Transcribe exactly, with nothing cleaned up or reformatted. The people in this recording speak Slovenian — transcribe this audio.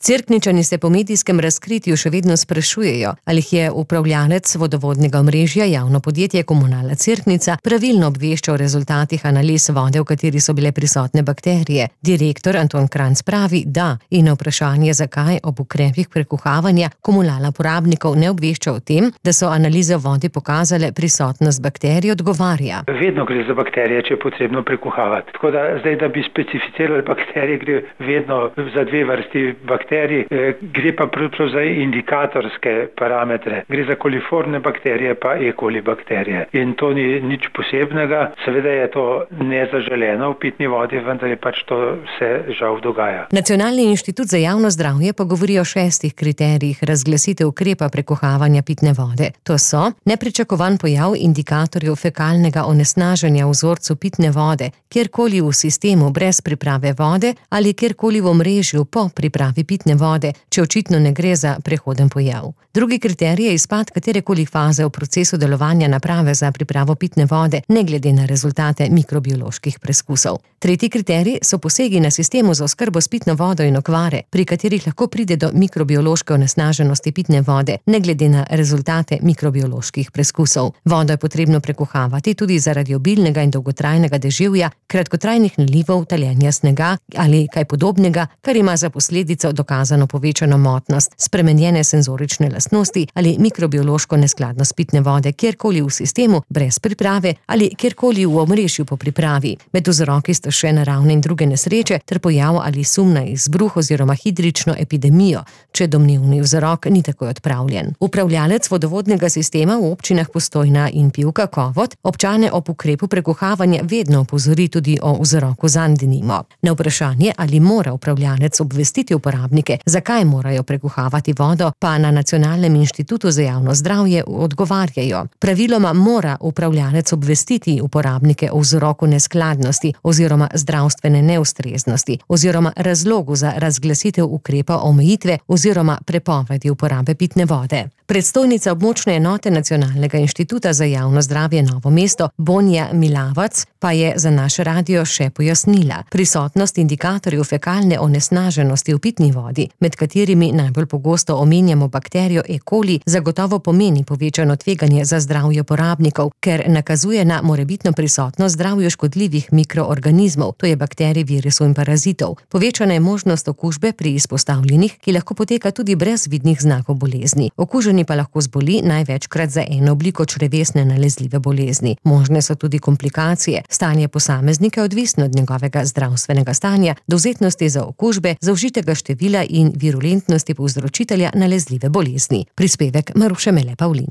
Cerkničani se po medijskem razkritju še vedno sprašujejo, ali jih je upravljalec vodovodnega omrežja javno podjetje Komunala Cerknica pravilno obveščal o rezultatih analiz vode, v kateri so bile prisotne bakterije. Direktor Anton Kranjc pravi, da, in na vprašanje, zakaj ob ukrepih prekuhavanja Komunala porabnikov ne obvešča o tem, da so analize vode pokazale prisotnost bakterij, odgovarja. Vedno gre za bakterije, če je potrebno prekuhavati. Tako da zdaj, da bi specificirali bakterije, gre vedno za dve vrsti bakterij. Gre pa pravzaprav za indikatorske parametre. Gre za koliformne bakterije pa E. coli bakterije. In to ni nič posebnega. Seveda je to nezaželeno v pitni vodi, vendar je pač to se žal dogaja. Nacionalni inštitut za javno zdravje pa govori o šestih kriterijih razglasitev ukrepa prekuhavanja pitne vode. To so nepričakovan pojav indikatorjev fekalnega onesnaženja v vzorcu pitne vode, kjerkoli v sistemu brez priprave vode ali kjerkoli v omrežju po pripravi pitne vode, če očitno ne gre za prehoden pojav. Drugi kriterij je izpad katerekoli faze v procesu delovanja naprave za pripravo pitne vode, ne glede na rezultate mikrobioloških preskusov. Tretji kriterij so posegi na sistemu za oskrbo s pitno vodo in okvare, pri katerih lahko pride do mikrobiološke onesnaženosti pitne vode, ne glede na rezultate mikrobioloških preskusov. Vodo je potrebno prekuhavati tudi zaradi obilnega in dolgotrajnega deževja, kratkotrajnih nalivov, taljenja snega ali kaj podobnega, kar ima za posledico dokazano povečano motnost, spremenjene senzorične lastnosti ali mikrobiološko neskladnost pitne vode kjerkoli v sistemu brez priprave ali kjerkoli v omrežju po pripravi. Med vzroki sta še naravne in druge nesreče ter pojav ali sum na izbruh oziroma hidrično epidemijo, če domnevni vzrok ni takoj odpravljen. Upravljalec vodovodnega sistema v občinah Postojna in Pivka Kovot občane ob ukrepu prekuhavanja vedno opozori tudi o vzroku zanj, denimo. Na vprašanje, ali mora upravljalec obvestiti uporabnike, zakaj morajo prekuhavati vodo, pa na Nacionalnem inštitutu za javno zdravje odgovarjajo. Praviloma mora upravljalec obvestiti uporabnike o vzroku neskladnosti oziroma zdravstvene neustreznosti oziroma razlogu za razglasitev ukrepa omejitve oziroma prepovedi uporabe pitne vode. Predstojnica območne enote Nacionalnega inštituta za javno zdravje Novo mesto Bonja Milavac pa je za naš radio še pojasnila. Prisotnost indikatorjev fekalne onesnaženosti v pitni vodi, med katerimi najbolj pogosto omenjamo bakterijo E. coli, zagotovo pomeni povečano tveganje za zdravje porabnikov, ker nakazuje na morebitno prisotnost zdravju škodljivih mikroorganizmov, to je bakterij, virusov in parazitov. Povečana je možnost okužbe pri izpostavljenih, ki lahko poteka tudi brez vidnih znakov bolezni. Okuženi pa lahko zboli največkrat za eno obliko črevesne nalezljive bolezni. Možne so tudi komplikacije. Stanje posameznika je odvisno od njegovega zdravstvenega stanja, dovzetnosti za okužbe, zaužitega števila in virulentnosti povzročitelja nalezljive bolezni. Prispevek Maruše Mele Pavlin.